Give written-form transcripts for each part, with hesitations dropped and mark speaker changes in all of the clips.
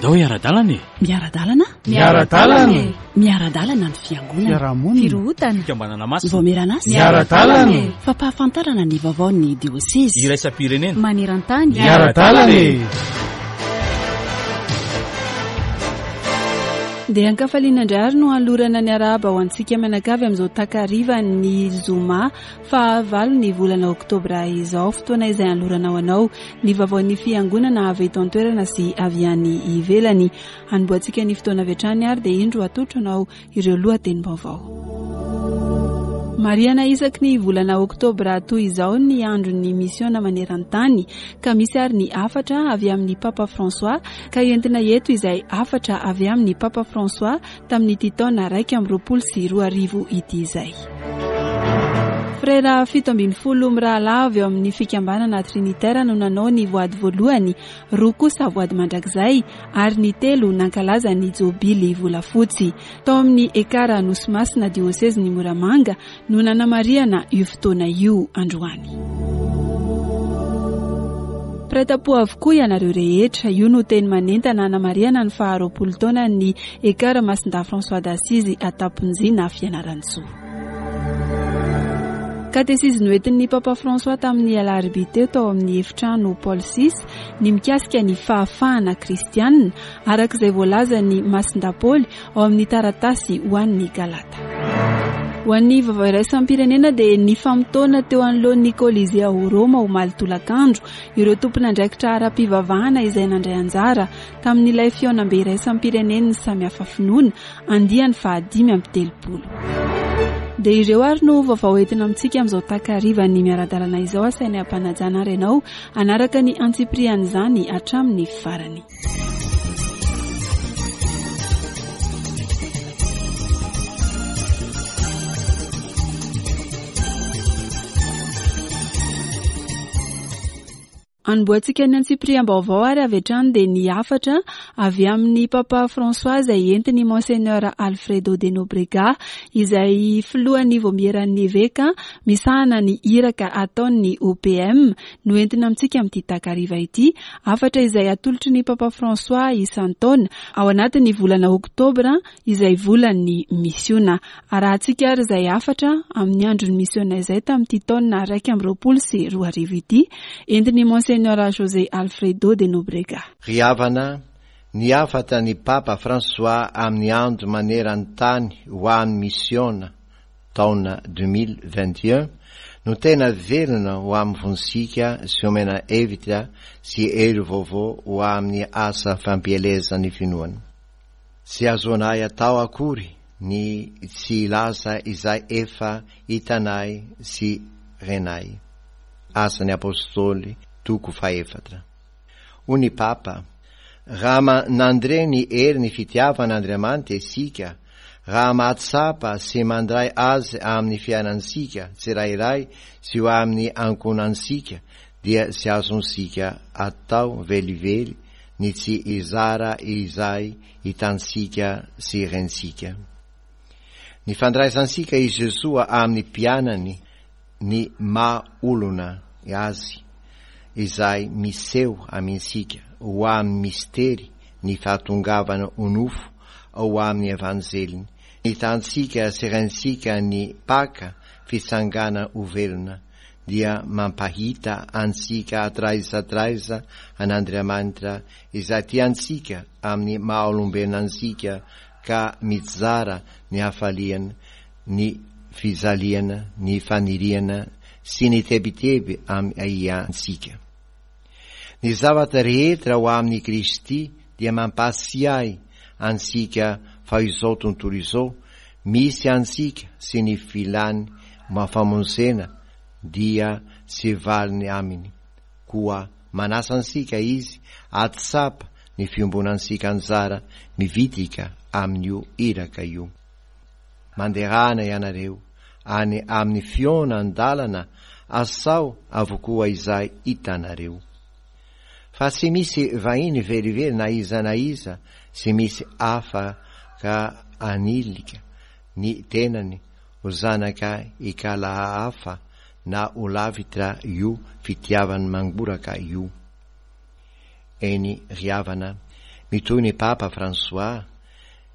Speaker 1: Andao hiara-dalana e!
Speaker 2: Miara-dalana?
Speaker 3: Miara-dalana e!
Speaker 2: Miara-dalana ny fiangonana.
Speaker 3: Fiarahamonina.
Speaker 2: Firohotana.
Speaker 1: Fikambanana masina.
Speaker 2: Vaomieran'asa.
Speaker 3: Miara-dalana e!
Speaker 2: Fampahafantarana ny vaovaon'ny diosezy.
Speaker 1: Iraisam-pirenena.
Speaker 2: Maneran-tany.
Speaker 3: Miara-dalana e!
Speaker 4: Dia ankafaliana indray ary no hanolorana ny arahaba ho antsika mianakavy amin'izao takarivan'ny zoma fahavalo ny volana oktobra izao, fotoana izay hanolorana ho anao ny vaovaon'ny fiangonana avy eto an-toerana sy avy any ivelany. Hanombohantsika ny fotoana avy hatrany ary dia indro atolotro anao ireo lohatenim-baovao. Marihana isaky ny volana oktobra toy izao ny andron'ny misiona maneran-tany ka misy ary ny hafatra avy amin'ny Papa François ka entina eto izay hafatra avy amin'ny Papa François tamin'ity taona 2021 ity izay. Frera 17 mirahalahy avy ao amin'ny fikambanana Trinitaire no nanao ny voady voalohany, roa kosa voady mandrakizay ary ny telo nankalaza ny jobily volafotsy. Tao amin'ny Ekara Anosimasina diosezin'i Moramanga no nanamarihana io fotoana io androany. Mpiray tampo avokoa ianareo rehetra. Io no teny manentana hanamarihana ny faha 20 taonan'ny Ekara Masindahy François d'Assise Antamponjina Fianarantsoa. Katesizy noentin'ny Papa François tamin'ny alarobia teo tao amin'ny efitrano Paul VI ny mikasika ny fahafahana kristianina araka izay voalazan'i Masindahy Paoly ao amin'ny taratasy ho an'ny Galata. Ho an'ny vaovao iraisam-pirenena dia nifamotoana teo anoloan'ny Colisée ao Roma omaly tolakandro ireo tompon'andraikitra ara-pivavahana izay nandray anjara tamin'ilay fihaonambe iraisam-pirenen'ny samihafa finoana andiany faha-35. Dia ireo ary no vaovao entina amintsika amin'izao takarivan'ny miara-dalana izao. Asainay am-panajana ary ianao hanaraka ny antsipirian'izany hatramin'ny farany. Hanombohantsika ny antsipiriam-baovao ary avy hatrany dia ny hafatra avy amin'ny Papa François izay entin'i Monseigneur Alfredo de Nobrega izay filohan'ny Vaomieran'ny Eveka misahana ny iraka ataon'ny OPM no entina amintsika amin'ity takariva ity, hafatra izay atolotry ny Papa François isan-taona ao anatin'ny volana oktobra izay volan'ny misiona. Arahantsika ary izay hafatra amin'ny andron'ny misiona izay tamin'ity taona 2021 ity, entin'i Monseigneur José Alfredo de Nobrega.
Speaker 5: Ry havana, ny hafatra ny Papa François amin'ny andro maneran-tany ho an'ny misiona, taona 2021 no tena velona ho amin'ny fonsika sy omena hevitra sy hery vaovao ho amin'ny asa fampielezana ny finoana. Tsy azonay atao akory ny tsy hilaza izay efa hitanay sy renay. Asan'ny Apostoly toko fahefatra. Hoy ny Papa, Raha nandre ny herin'ny fitiavan'Andriamanitra isika, raha mahatsapa sy mandray Azy amin'ny fiainantsika tsirairay sy ho amin'ny ankohonantsika, dia tsy azontsika atao velively ny tsy hizara izay hitantsika sy rentsika. Ny fandraisantsika i Jesoa amin'ny mpianany ny maha olona Azy izay miseho amintsika ho amin'ny mistery ny fahatongavana ho nofo ao amin'ny Evanjeliny. Hitantsika sy rentsika ny Paka fitsangana ho velona dia mampahita antsika hatraiza hatraiza an'Andriamanitra izay tia antsika amin'ny maha olombelona antsika ka mizara ny hafaliany ny fijaliana, ny faniriana sy ny tebiteby amintsika. Ny zavatra rehetra ao amin'i Kristy dia mampahatsiahy antsika fa izao tontolo izao misy antsika sy ny filany famonjena dia tsy valiny aminy. Koa manasa antsika Izy hahatsapa ny fiombonantsika anjara mivitrika amin'io iraka io. Manderana ianareo any amin'ny fihaonan-dalana asao avokoa izay hitanareo. Fa tsy misy vahiny velively na iza na iza tsy misy hafa ka hanilika ny tenany ho zanaka ikalahafa na ho lavitra io fitiavany mangoraka io. Eny ry havana, Mitohy ny Papa Fransoà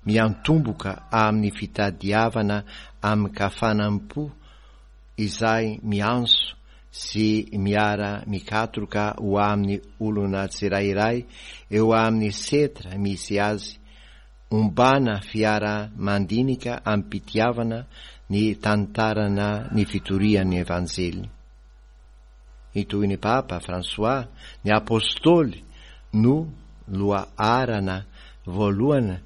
Speaker 5: miantomboka amin'ny fitadiavana amin-kafanam-po izay miantso sy miara-mikatroka ho amin'ny olona tsirairay eo amin'ny setra misy azy, ombana fiara-mandinika amim-pitiavana ny tantarana ny fitorian'ny Evanjely. Hitohy ny Papa Fransoà, ny Apôstôly no lohaharana voalohany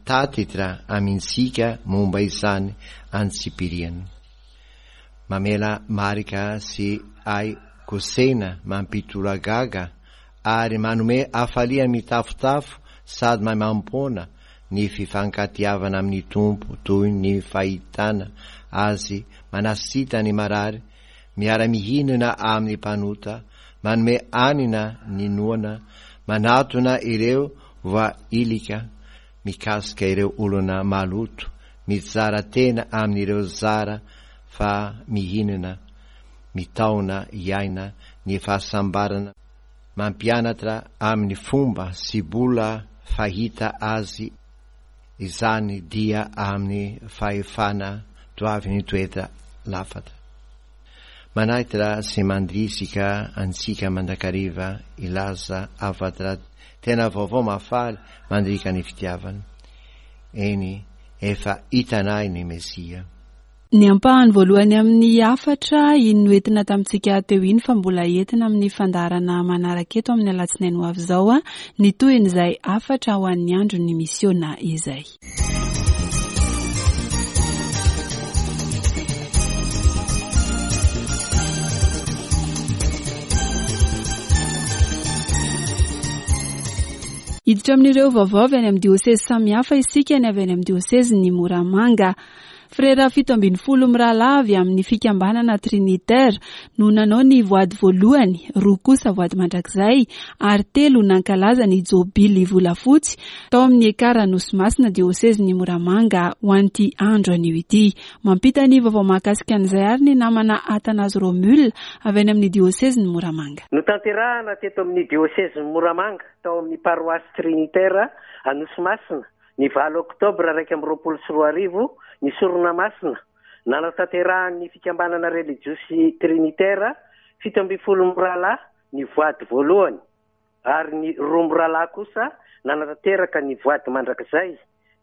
Speaker 5: tatitra amintsika momba izany antsipiriany. Mamela marika sy hay kosehina mampitolagaga ary manome hafaliana mitafotafo sady maimaimpoana ny fifankatiavana amin'ny Tompo toy ny fahitana Azy manasita ny marary, miara-mihinana amin'ny mpanota, manome hanina ny noana, manatona ireo voailika, mikasika ireo olona maloto, mizara tena amin'ireo zara fa mihinana, mitaona hiaina ny fahasambarana, mampianatra amin'ny fomba sy bola fahita azy izany dia amin'ny fahefana toavin'ny toetra lafatra. Manaitra sy mandrisika antsika mandrakariva hilaza hafatra tena vaovao mahafaly mandriaka ny fitiavana. Eny, efa hitanay ny Mesia.
Speaker 4: Ny ampahany voalohany amin'ny hafatra iny noentina tamintsika teo iny fa mbola entina amin'ny fandaharana manaraka eto amin'ny alatsinainy ho avy izao ny tohin'izay hafatra ho an'ny andron'ny misiona izay. Hiditra amin'ireo vaovao avy any amin'ny diosezy samihafa isika, ny avy any amin'ny diosezin'i Moramanga. Frera 17 mirahalahy avy amin'ny fikambanana Trinitaire no nanao ny voady voalohany, roa kosa voady mandrakizay ary telo nankalaza ny jobily volafotsy tao amin'ny Ekar Anosimasina diosezin'i Moramanga ho an'ity andro anio ity. Mampita ny vaovao mahakasika an'izay ary ny namana Athanase Romule avy any amin'ny diosezin'i Moramanga.
Speaker 1: Notanterahana teto amin'ny diosezin'i Moramanga tao amin'ny paroasy Trinitaire Anosimasina Ny valo oktobra 2021, ny Sorona Masina, nanatanterahan'ny fikambanana relijiozy Trinitera 17 mirahalahy ny voady voalohany, ary ny roa mirahalahy kosa nanatanteraka ny voady mandrakizay,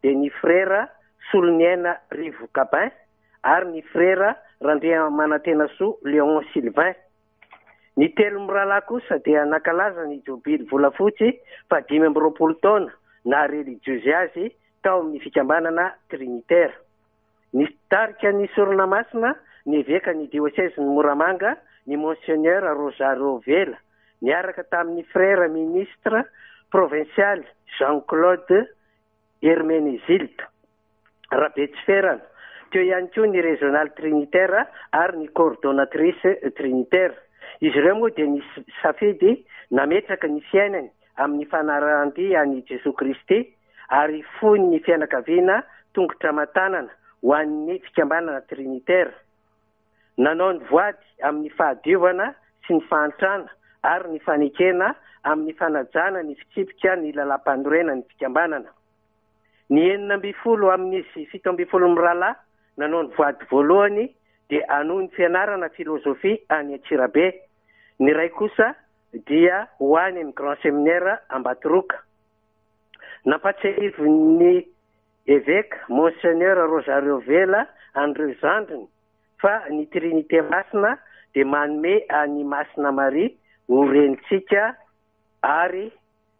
Speaker 1: dia ny Frera Soloniaina Rivo Gabin ary ny Frera Randriamanantenasoa Léon Sylvain. Ny telo mirahalahy kosa dia nankalaza ny jobily volafotsy faha 25 taona naha relijiozy azy tao amin'ny fikambanana Trinitera. Nitarika ny sorona masina ny evekan'ny diosezin'i Moramanga ny Monseigneur Rosario Vela niaraka tamin'ny Frère Ministre provinsialy Jean Claude Hermenezilde. Rabetsiferana. Teo ihany koa ny Régional Trinitaire ary ny Coordonnatrice Trinitaire. Izy ireo moa dia nisafidy nametraka ny fiainany amin'ny fanarahan-dia an'i Jesoa Kristy ary foiny ny fianakaviana tongotra aman-tanana ho an'ny fikambanana Trinitaire. Nanao ny voady amin'ny fahadiovana sy ny fahantrana ary ny fanekena amin'ny fanajana ny fitsipika ny lalàmpanorenan'ny fikambanana. Ny 16 amin'izy 17 mirahalahy nanao ny voady voalohany dia hanohy ny fianarana filozofia any Antsirabe. Ny iray kosa dia ho any amin'ny Grand Séminaire Ambatoroka. Nampatsiahivin'ny Eveka Monseigneur Rosario Vela an'ireo zandriny fa ny Trinite Masina dia manome an'i Masina Maria ho renintsika ary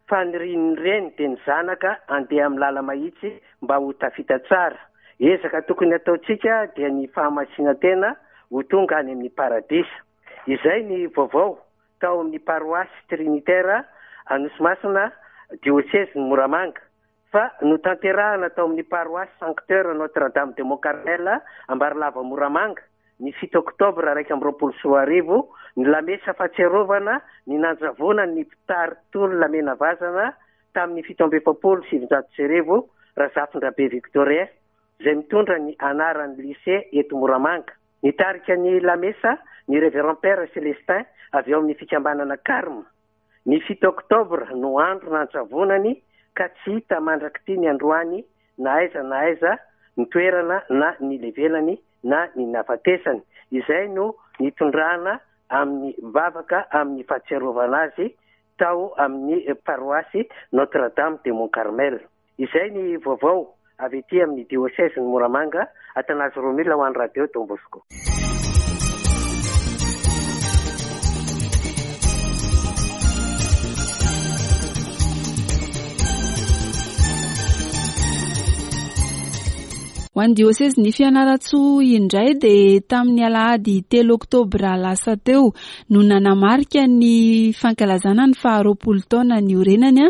Speaker 1: Fanirian'ny reny dia ny zanaka handeha amin'ny lala-mahitsy mba ho tafita tsara. Ezaka tokony hataontsika dia ny fahamasinan-tena ho tonga any amin'ny paradisa. Izay ny vaovao tao amin'ny paroasy Trinitaire Anosimasina, diosezin'i Moramanga, fa notanterahana tao amin'ny paroasy Sancteur Notre Dame de Mont Carmel Ambarilava Moramanga ny fito oktobra 2021 ny lamesa fahatsiarovana ny nanjavonan'ny mpitari-tolona menavazana tamin'ny 1947 Razafindrabe Victorien izay mitondra ny anaran'ny lycée eto Moramanga. Nitarika ny lamesa ny Révérend Père Célestin avy ao amin'ny fikambanana Carme. Ny fito oktobra no andro nanjavonany ka tsy hita mandrak'ity ny androany na aiza na aiza ny toerana na ny levelany na ny nahafatesany. Izay no nitondrana amin'ny vavaka amin'ny fahatsiarovana azy tao amin'ny paroasy Notre Dame de Mont Carmel. Izay ny vaovao avy ety amin'ny diosezin'i Moramanga, Athanase Romile ho an'ny Radio Don Bosco.
Speaker 4: Ho an'ny diosezin'i Fianarantsoa indray dia tamin'ny alahady telo oktobra lasa teo no nanamarika ny fankalazana ny faha-20 taona niorenany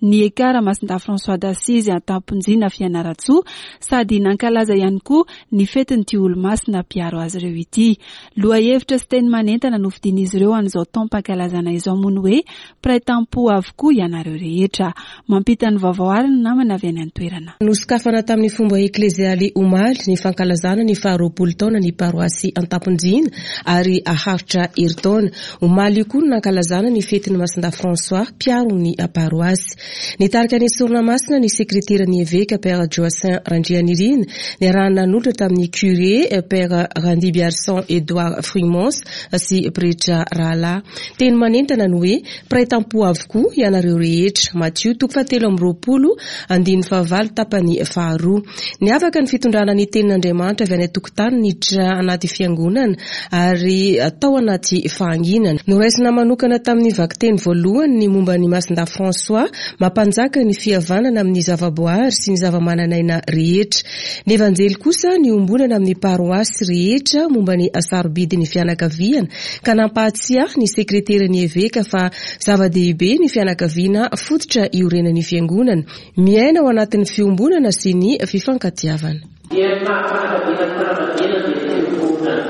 Speaker 4: ny Ekar Masindahy François d'Assise Antamponjina Fianarantsoa sady nankalaza ihany koa ny fetin'ity olomasina mpiaro azy ireo ity. Lohahevitra sy teny manentana nofidian'izy ireo an'izao taom-pankalazana izao moa ny hoe Mpiray tampo avokoa ianareo rehetra. Mampita ny vaovao àry ny namana avy any an-toerana.
Speaker 6: Nosokafana tamin'ny fomba eklezialy omaly ny fankalazana ny faharoapolo taona ny paroasy Antamponjina ary haharitra herintaona. Omaly io koa no nankalazana ny fetin'i Masindahy François, mpiaro ny paroasy. Nitarika ny sorona masina ny sekreteran'ny eveka Père Joassin Randrianirina, niarahana nanolotra tamin'ny curé Père Randimbiarison Edouard Frumens sy pretra rahalahy. Teny manentana ny hoe, Mpiray tampo avokoa ianareo rehetra. Matio toko fahatelo amby 20, andininy fahavalo tapany faharoa. Niavaka ny fitondrana ny tenin'Andriamanitra avy any an-tokotany niditra anaty fiangonana ary tao anaty fahanginana. Noraisina manokana tamin'ny vakiteny voalohany ny momba an'i Masindahy François, mampanjaka ny fihavanana amin'ny zavaboary sy ny zavamananaina rehetra. Ny Evanjely kosa niombonana amin'ny paroasy rehetra momba ny hasarobidin'ny fianakaviana ka nampahatsiahy ny sekreteran'ny eveka fa zava-dehibe ny fianakaviana fototra iorenan'ny fiangonana, miaina ao anatin'ny fiombonana sy ny fifankatiavana.
Speaker 7: Dia ny maha-fianakaviana ny fanambadiana dia fiombonana,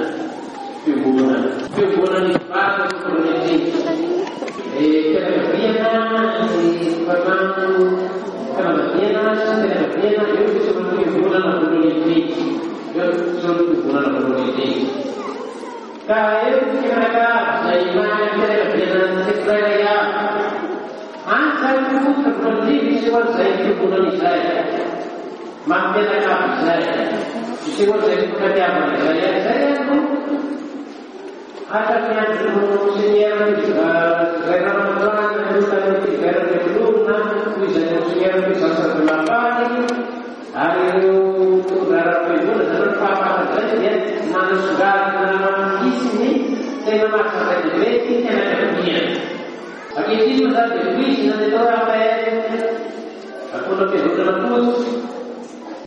Speaker 7: fiombonana, fiombonan'ny mpivady no voalohany indrindra. Ny fianakaviana, ny tokantrano, fanambadiana sy ny fianakaviana, eo no isehoan'ny fiombonana voalohany indrindra, eo no isehoan'ny fiombonana voalohany indrindra. Ka eo ny fianakavy izay mahay ny fianakaviana ny tsirairay avy. Any izany no fototra voalohany indrindra isehoan'izay fiombonana izay. Maha mpianakavy izay. Isehoan'izay fifankatiavana izay. Ary izay ary no hatramin'ny andron'ny Monseigneur izay Ramanandrana aloha tany Philibert Andriavololona, toy izay Monseigneur Louis-Jean de Lafargue, Ary ireo mpitondra ara-piangonana izany ny fahafahana izay dia nanasongadina namafisy ny tena maha zava-dehibe ny fianakaviana. Ankehitriny moa izany dia voizina ny atao hoe APR, Ankohonam-piangonana Fotsy.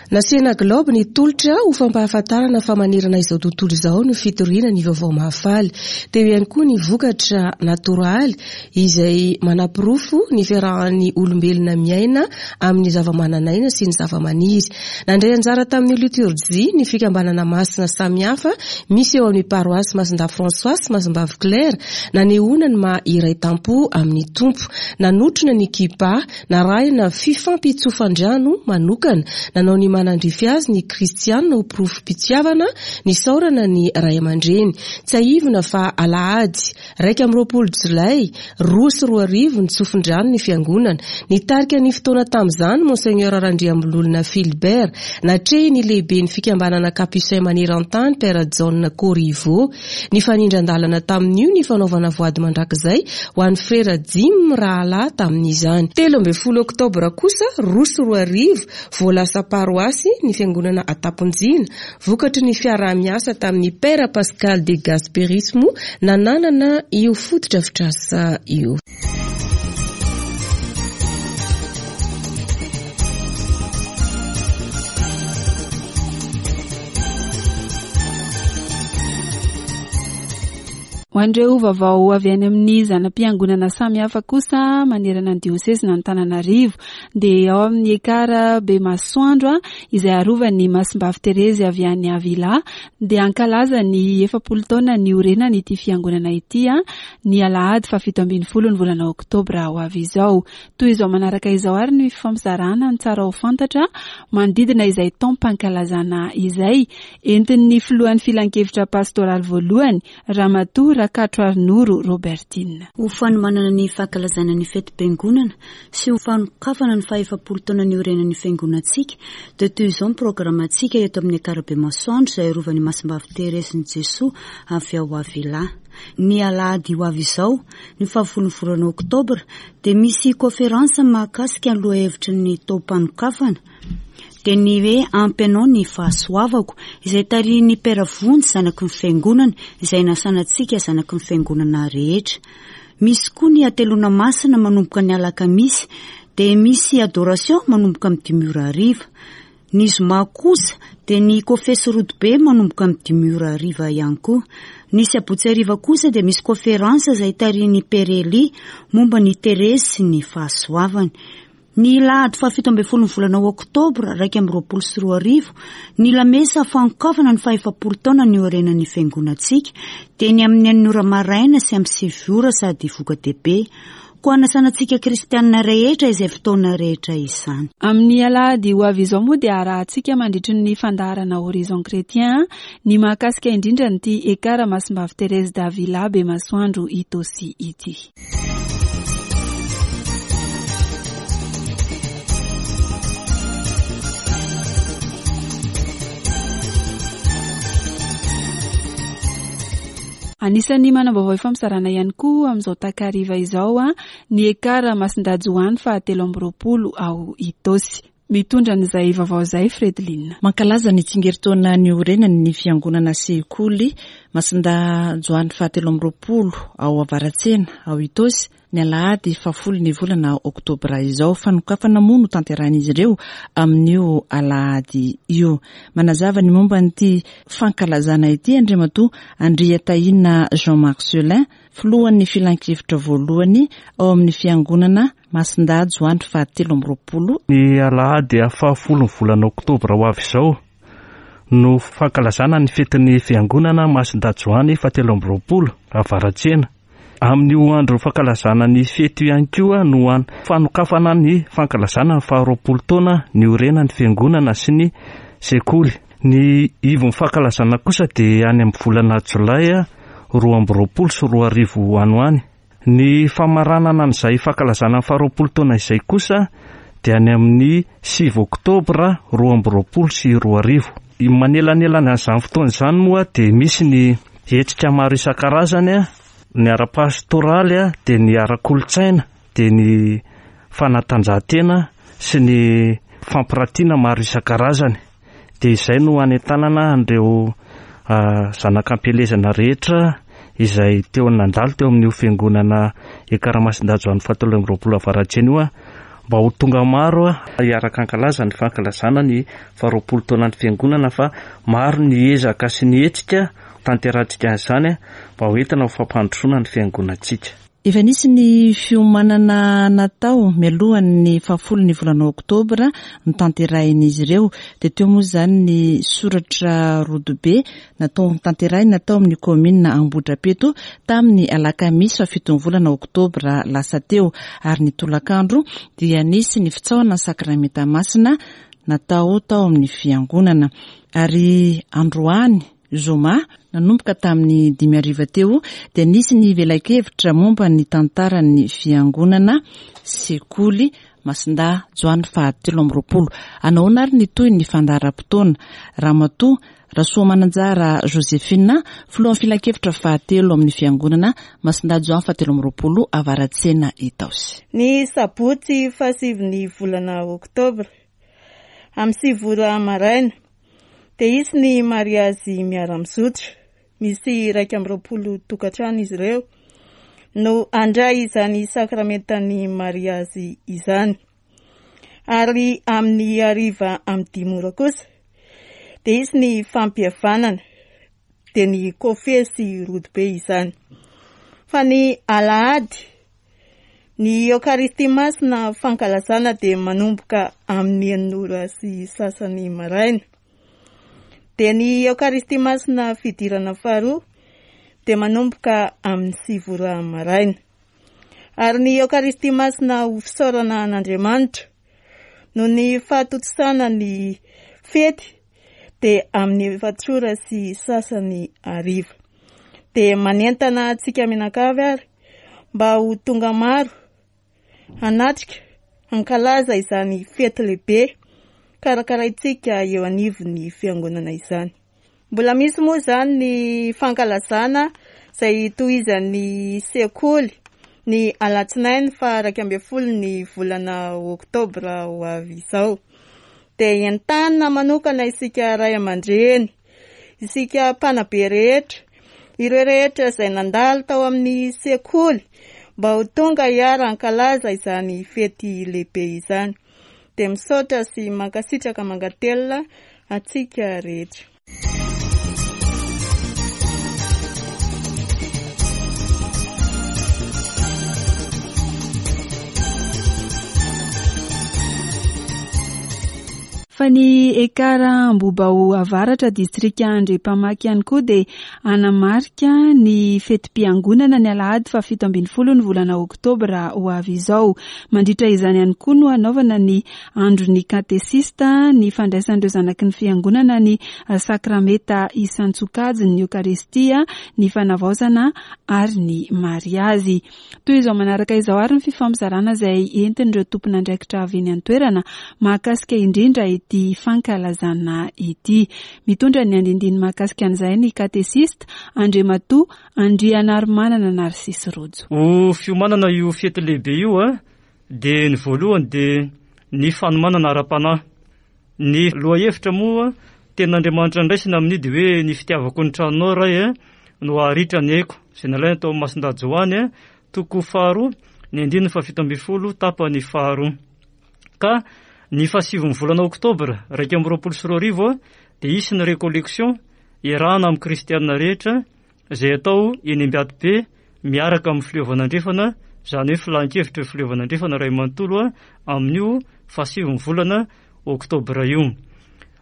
Speaker 6: Nasiana gilaoby ny tolotra ho fampahafantarana fa manerana izao tontolo izao ny fitoriana ny vaovao mahafaly. Teo ihany koa ny vokatra natoraly izay manaporofo ny fiarahan'ny olombelona miaina amin'ny zavamananaina sy ny zavamaniry. Nandray anjara tamin'ny litorjia ny fikambanana masina samihafa misy eo amin'ny paroasy Masindahy François sy Masimbavy Claire, nanehoana ny maha iray tampo amin'ny Tompo. Nanotrona ny Kipa, narahina fifampitsofan-drano manokana. Nanao ny manandrify azy ny kristiana ho porofom-pitiavana, nisaorana ny ray aman-dreny. Tsiahivina fa alahady 21 jolay 2002 nitsofin-drano ny fiangonana. Nitarika ny fotoana tamin'izany Monseigneur Randriambololona Philbert, natrehin'ny lehiben'ny fikambanana Capucin maneran-tany Père Jaona Corriveau. Nifanindran-dalana tamin'io ny fanaovana voady mandrakizay ho an'ny frera dimy mirahalahy tamin'izany. 13 oktobra kosa 2002 vao lasa paroasy ny fiangonana Antamponjina, Vokatry ny fiaraha-miasa tamin'ny Père Pascal de Gasperis moa nananana io fotodrafitrasa io.
Speaker 4: Ho an'ireo vaovao avy any amin'ny zana-piangonana samihafa kosa manerana ny diosezin'Antananarivo dia ao amin'ny Ekar Bemasoandro izay arovan'ny Masimbavy Terezy avy any Avila dia hankalaza ny 40 taona niorenany ity fiangonana ity ny alahady faha-17 ny volana oktobra ho avy izao. Toy izao manaraka izao ary ny fifampizarana ny tsara ho fantatra manodidina izay taom-pankalazana izay entin'ny filohan'ny filankevitra pastoraly voalohany Ramatoa Rakatroarinoro Robertine.
Speaker 8: Ho fanomanana ny fankalazana ny fetim-piangonana sy ho fanokafana ny faha-efapolo taona niorenan'ny fiangonantsika dia toy izao ny programantsika eto amin'ny Ankarabe Masoandro izay arovan'i Masimbavy Thérèse-n'i Jesoa avy ao Avila. Ny alahady ho avy izao, ny fahafolon'ny volana oktobra, dia misy kaoferansa mahakasika ny lohahevitry ny taom-panokafana, dia ny hoe Ampy anao ny fahasoavako, izay tarihin'ny Père Vonjy zanaky ny Fiangonana, izay nasana antsika zanaky ny Fiangonana rehetra. Misy koa ny hateloana masina manomboka ny alakamisy, dia misy adoration manomboka amin'ny dimy ora hariva. Ny zoma kosa dia ny kofesy rodobe manomboka amin'ny dimy ora hariva ihany koa. Ny sabotsy hariva kosa dia misy konferansa izay tarihin'i Père Elie momba ny Terezy sy ny fahasoavany. Ny lahady fahafito ambin'ny folon'ny volana oktobra 2021, ny lamesa fanokafana ny fahefapolo taona niorenan'ny fiangonantsika dia ny amin'ny enina ora maraina sy amin'ny sivy ora sady voka-dehibe. Koa hanasana antsika kristianina rehetra izay fotoana rehetra izany.
Speaker 4: Amin'ny alahady ho avy izao moa dia harahantsika mandritry ny fandaharana Horizon Chrétien ny mahakasika indrindra an'ity Ekar Masimbavy Thérèse d'Avila Bemasoandro Itaosy ity. Anisan'ny manam-baovao ifampizarana ihany koa amin'izao takariva izao ny Ekar Masindahy Joany faha 23 ao Itaosy. Mitondra an'izay vaovao izay Fredeline.
Speaker 9: Mankalaza ny tsingerin-taona niorenany ny fiangonana sekoly Masindahy Joany faha 23 ao Avaratsena ao Itaosy ny alahady fahafolo ny volana oktobra izao. Fanokafana moa no tanterahin'izy ireo amin'io alahady io. Manazava ny momba an'ity fankalazana ity Andriamatoa Andriatahina Jean Marcelin, filohan'ny filankevitra voalohany ao amin'ny fiangonana Masindahy Joany faha 23.
Speaker 10: Ny alahady fahafolo ny volana oktobra ho avy izao no fankalazana ny fetin'ny fiangonana Masindahy Joany faha 23 Avaratsena. Amin'io andro fankalazana ny fety io ihany koa no an fanokafana ny fankalazana ny faha-roapolo taona niorenan'ny fiangonana sy ny sekoly. Ny ivon'ny fankalazana kosa dia any amin'ny volana jolay 2022 any ho any. Ny famaranana an'izay fankalazana ny faha-roapolo taona izay kosa dia any amin'ny 9 oktobra 2022. Manelanelana an'izany fotoana izany moa dia misy ny hetsika maro isan-karazany, ny ara-pastoraly, dia ny ara-kolontsaina, dia ny fanatanjahantena sy ny fampiratiana maro isan-karazany. Dia izay no hanentanana an'ireo zanak'ampielezana rehetra izay teo nandalo teo amin'io fiangonana Ekaramasindahy Joany fahatelo amby roapolo Avaratsena io mba ho tonga maro hiaraka hankalaza ny fankalazana ny faharoapolo taonan'ny fiangonana fa maro ny ezaka sy ny hetsika tanterahantsika an'izany mba ho entina ho fampandrosoana ny fiangonantsika.
Speaker 9: Efa nisy ny fiomanana natao mialohan'ny fahafolo ny volana oktobra notanterahin'izy ireo. Dia teo moa izany ny soratra rodobe natao notanterahina tao amin'ny kaominina Ambohidrapeto tamin'ny alakamisy fahafiton'ny volana oktobra lasa teo. Ary ny tolakandro dia nisy ny fitsaohana ny sakramenta masina natao tao amin'ny fiangonana. Ary androany zoma, nanomboka tamin'ny dimy hariva teo dia nisy ny velakevitra momba ny tantaran'ny fiangonana sekoly Masindahy Joany faha 23. Anahoana ary ny tohin'ny fandaharam-potoana? Ramatoa Rasoamananjara Josephine, filohan'ny filankevitra fahatelo amin'ny fiangonana Masindahy Joany faha 23 Avaratsena Itaosy.
Speaker 11: Ny sabotsy fahasivin'ny volana oktobra, amin'ny sivy ora maraina, dia hisy ny mariazy miara-mizotra. Misy 21 tokantrano izy ireo no handray izany sakramentan'ny mariazy izany. Ary amin'ny hariva amin'ny dimy ora kosa dia hisy ny fampihavanana, dia ny kofesy rodobe izany. Fa ny alahady, ny Eokaristia Masina fankalazana dia manomboka amin'ny enina ora sy sasany maraina. Dia ny Eokaristia Masina fidirana faharoa dia manomboka amin'ny sivy ora maraina. Ary ny Eokaristia Masina ho fisaorana an'Andriamanitra noho ny fahatontosana ny fety dia amin'ny efatra ora sy sasany hariva. Dia manentana antsika mianakavy ary mba ho tonga maro hanatrika, hankalaza izany fety lehibe karakaraintsika eo anivon'ny fiangonana izany. Mbola misy moa izany ny fankalazana izay tohizan'ny sekoly ny alatsinainy faha 11 ny volana oktobra ho avy izao. Dia entanina manokana isika ray aman-dreny, isika mpanabe rehetra, ireo rehetra izay nandalo tao amin'ny sekoly mba ho tonga hiara-hankalaza izany fety lehibe izany. Dia misaotra sy mankasitraka mankatelina antsika rehetra.
Speaker 4: Fa ny Ekar Ambohibao Avaratra, distrika Andriampamaky ihany koa dia hanamarika ny fetim-piangonana ny alahady faha 17 ny volana oktobra ho avy izao. Mandritra izany ihany koa no hanaovana ny andron'ny katesista, ny fandraisan'ireo zanaky ny fiangonana ny sakrameta isan-tsokajiny, ny Eokaristia, ny fanavaozana ary ny mariazy. Toy izao manaraka izao ary ny fifampizarana izay entin'ireo tompon'andraikitra avy eny an-toerana mahakasika indrindra ity fankalazana ity. Mitondra ny andindiny mahakasika an'izay ny katesista Andriamatoa Andrianarimanana Narcisse Rojo.
Speaker 12: Ho fiomanana io fety lehibe io dia ny voalohany dia ny fanomanana ara-panahy. Ny lohahevitra moa tenin'Andriamanitra ndraisina amin'io dia hoe ny fitiavako ny tranonao Ray a no haharitra ny aiko, izay nalaina tao amin'ny Masindahy Joany toko faharoa ny andininy fahafito ambin'ny folo tapany faharoa. Ka ny fahasivin'ny volana oktobra 2021 dia hisy ny recollection iarahana amin'ny kristiana rehetra izay atao eny Ambiatibe miaraka amin'ny Fileovana Andrefana, izany hoe filan-kevitry ny Fileovana Andrefana iray manontolo amin'io fahasivin'ny volana oktobra io.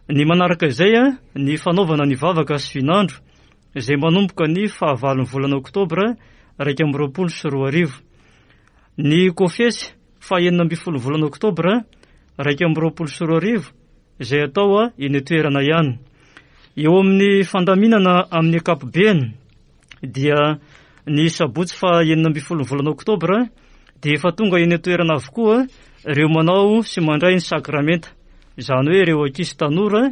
Speaker 12: Ny manaraka izay, ny fanaovana ny vavaka sy vinandro izay manomboka ny fahavalon'ny volana oktobra 2021. Ny kofesy faha 16 volana oktobra 2021 izay atao eny an-toerana ihany. Eo amin'ny fandaminana amin'ny ankapobeny dia ny sabotsy faha 16 ny volana oktobra dia efa tonga eny an-toerana avokoa ireo manao sy mandray ny sakramenta, izany hoe ireo ankizy tanora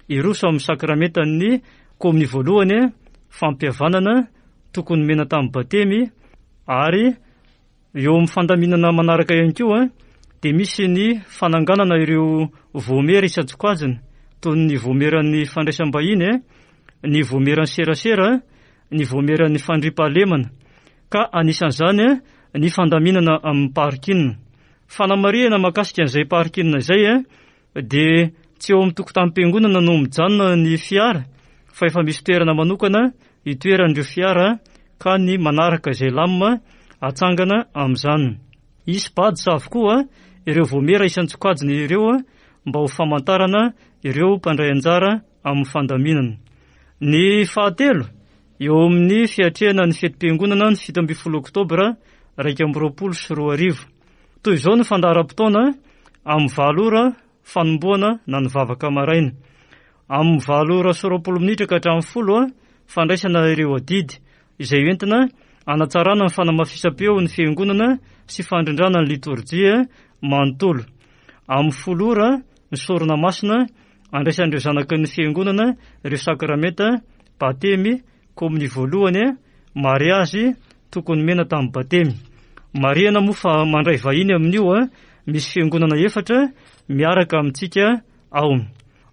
Speaker 12: hiroso amin'ny sakramentan'ny kominio voalohany, fampihavanana, tokony nomena tamin'ny batemy ary Eo amin'ny fandaminana manaraka ihany koa dia misy ny fananganana ireo vaomiera isan-tsokajiny toy ny vaomieran'ny fandraisam-bahiny, ny vaomieran'ny serasera, ny vaomieran'ny fandriampahalemana ka anisan'izany ny fandaminana amin'ny parking. Fanamarihana mahakasika an'izay parking izay dia tsy eo amin'ny tokotanim-piangonana no mijanona ny fiara fa efa misy toerana manokana itoeran'ireo fiara ka ny manaraka izay lamina atsangana amin'izany. Hisy badge avokoa ireo vaomiera isan-tsokajiny ireo mba ho famantarana ireo mpandray anjara amin'ny fandaminana. Ny fahatelo, eo amin'ny fiatrehana ny fetim-piangonana ny 17 oktobra 2021. Toy izao ny fandaharam-potoana, amin'ny valo ora fanombohana na ny vavaka maraina. Amin'ny valo ora sy roapolo minitra ka hatramin'ny folo fandraisana ireo adidy izay entina hanatsarana ny fanamafisam-peo ny fiangonana sy fandrindrana ny litorjia manontolo. Amin'ny folo ora ny sorona masina andraisan'ireo zanaky ny fiangonana ireo sakramenta batemy Komin'ny voalohany, mariazy tokony nomena tamin'ny batemy. Marihana moa fa mandray vahiny amin'io misy fiangonana efatra miaraka amintsika ao.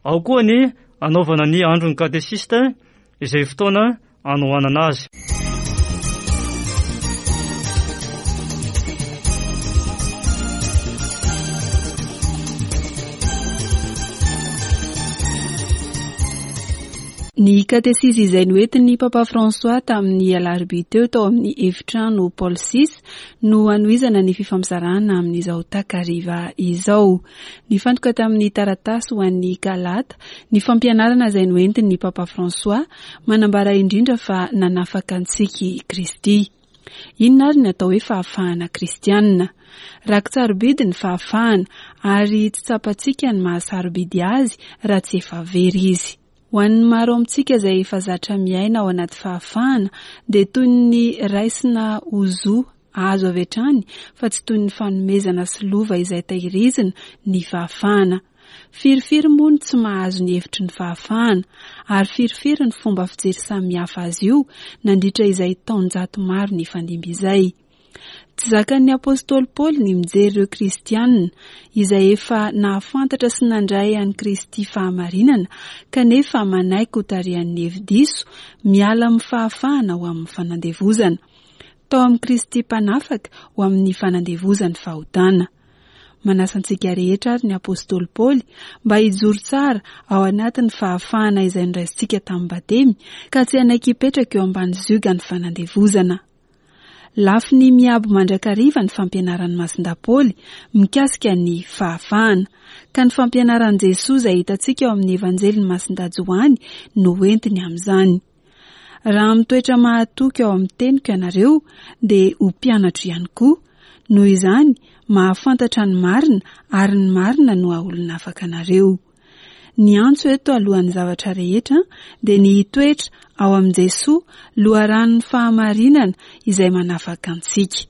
Speaker 12: Ao koa ny hanaovana ny andron'ny katesista izay fotoana hanohanana azy.
Speaker 4: Ny katesizy izay noentin'ny Papa François tamin'ny alarobia teo tao amin'ny efitrano Paul VI no hanohizana ny fifampizarana amin'izao takariva izao. Nifantoka tamin'ny taratasy ho an'ny Galata ny fampianarana izay noentin'ny Papa François, manambara indrindra fa nanafaka antsika i Kristy. Inona ary ny atao hoe fahafahana kristianina? Raki-tsarobidy ny fahafahana ary tsy tsapantsika ny maha sarobidy azy raha tsy efa very izy. Ho an'ny maro amintsika izay efa zatra miaina ao anaty fahafahana dia toy ny raisina ho zo azo avy hatrany fa tsy toy ny fanomezana sy lova izay tahirizina ny fahafahana. Firifiry moa no tsy mahazo ny hevitry ny fahafahana, ary firifiry ny fomba fijery samihafa azy io nandritra izay taonjato maro nifandimby izay. Tsy zakan'ny apostoly Paoly ny mijery ireo kristiana izay efa nahafantatra sy nandray an'i Kristy fahamarinana kanefa manaiky hotarihan'ny hevi-diso miala amin'ny fahafahana ho amin'ny fanandevozana. Tao amin'i Kristy Mpanafaka ho amin'ny fanandevozan'ny fahotana. Manasa antsika rehetra ary ny apostoly Paoly mba hijoro tsara ao anatin'ny fahafahana izay noraisintsika tamin'ny batemy ka tsy hanaiky hipetraka eo ambany ziogan'ny fanandevozana. Lafiny miabo mandrakariva ny fampianaran'i Masindahy Paoly mikasika ny fahafahana, ka ny fampianaran'i Jesoa izay hitantsika ao amin'ny Evanjelin'i Masindahy Joany no entiny amin'izany. Raha mitoetra mahatoky ao amin'ny teniko ianareo, dia ho mpianatro ihany koa. Noho izany, mahafantatra ny marina, ary ny marina no haolona afaka anareo. Ny antso eto alohan'ny zavatra rehetra dia ny hitoetra ao amin'i Jesoa, loharanon'ny fahamarinana izay manafaka antsika.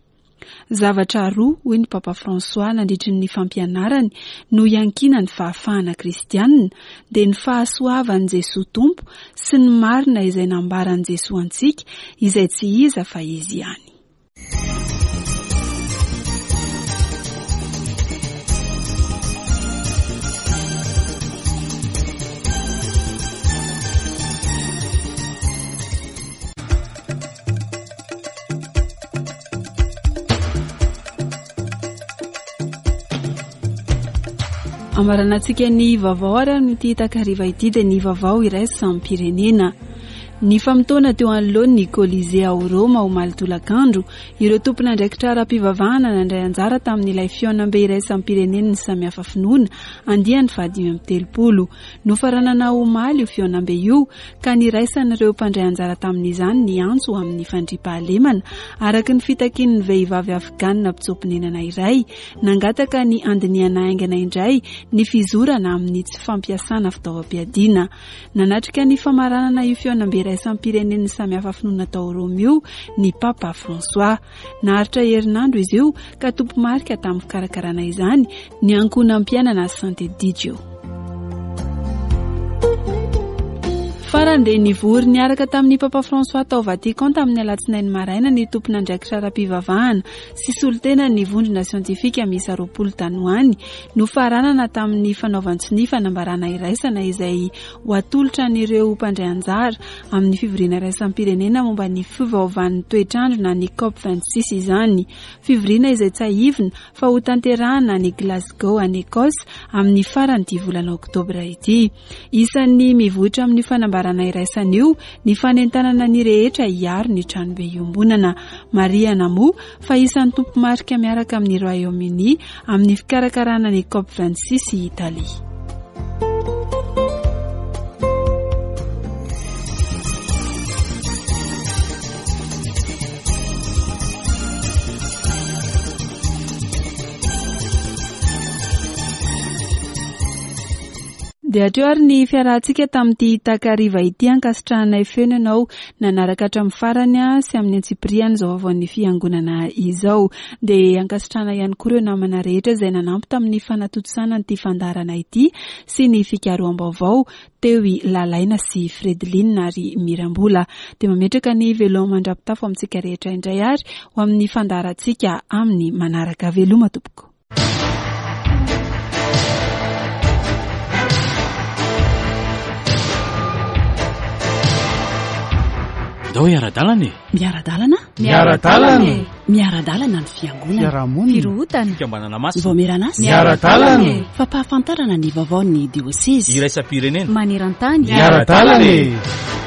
Speaker 4: Zavatra roa, hoy ny Papa François nandritry ny fampianarany, no iankinan'ny fahafahana kristianina, dia ny fahasoavan'i Jesoa Tompo sy ny marina izay nambaran'i Jesoa antsika, izay tsy iza fa Izy ihany. Amaranantsika ny vaovao ary amin'ity takariva ity dia ny vaovao iraisam-pirenena. Nifamotoana teo anoloan'ny Colisée ao Roma omaly tolakandro ireo tompon'andraikitra ara-pivavahana nandray anjara tamin'ilay fihaonambe iraisam-pirenen'ny samihafa finoana andiany faha-35. Nofaranana omaly io fihaonambe io ka niraisan'ireo mpandray anjara tamin'izany ny antso ho amin'ny fandriampahalemana araka ny fitakian'ny vehivavy Afghan mpitsoa-ponenana iray nangataka ny handinihana haingana indray ny fizorana amin'ny tsy fampiasana fitaovam-piadiana. Nanatrika ny famaranana io fihaonambe iraisam-pirenen'ny samihafa finoana tao Roma io ny Papa François. Naharitra herinandro izy io ka tompo-marika tamin'ny fikarakarana izany ny ankohonam-piainana Sant'Edigio. Farany dia nivory niaraka tamin'ny Papa François tao Vatican tamin'ny alatsinainy maraina ny tompon'andraikitra ara-pivavahana sy solontenan'ny vondrona siantifika miisa 20 tany ho any Nofaranana tamin'ny fanaovan-tsonia fanambarana iraisana izay ho atolotra an'ireo mpandray anjara amin'ny fivoriana iraisam-pirenena momba ny fiovaovan'ny toetr'andro na ny Cop 26 izany. Fivoriana izay tsiahivina fa hotanterahana any Glasgow any Ecosse amin'ny faran'ity volana oktobra ity. Isan'ny mivoitra amin'io fanambarana iraisana io ny fanentanana ny rehetra hiaro ny tranobe iombonana. Marihana moa fa isan'ny tompomarika miaraka amin'ny Royaume-Uni amin'ny fikarakarana ny Cop 26 i Italie. Dia hatreo ary ny fiarahantsika tamin'ity takariva ity ankasitrahanay feno ianao nanaraka hatramin'ny farany sy amin'ny antsipiriany izao vaovaon'ny fiangonana izao. Dia ankasitrahana ihany koa ireo namana rehetra izay nanampy tamin'ny fanatontosana an'ity fandaharana ity sy ny fikaroham-baovao teo i Lalaina sy Fredeline ary Mirambola. Dia mametraka ny veloma mandra-pitafo amintsika rehetra indray ary ho amin'ny fandaharantsika amin'ny manaraka. Veloma tompoko.
Speaker 13: Ndao hiara-dalana e!
Speaker 2: Miara-dalana?
Speaker 3: Miara-dalana e!
Speaker 2: Miara-dalana ny fiangonana.
Speaker 3: Fiarahamonina.
Speaker 2: Firohotana.
Speaker 13: Fikambanana masina.
Speaker 2: Vaomieran'asa.
Speaker 3: Miara-dalana e!
Speaker 2: Fampahafantarana ny vaovaon'ny diosezy.
Speaker 13: Iraisam-pirenena.
Speaker 2: Maneran-tany.
Speaker 3: Miara-dalana e!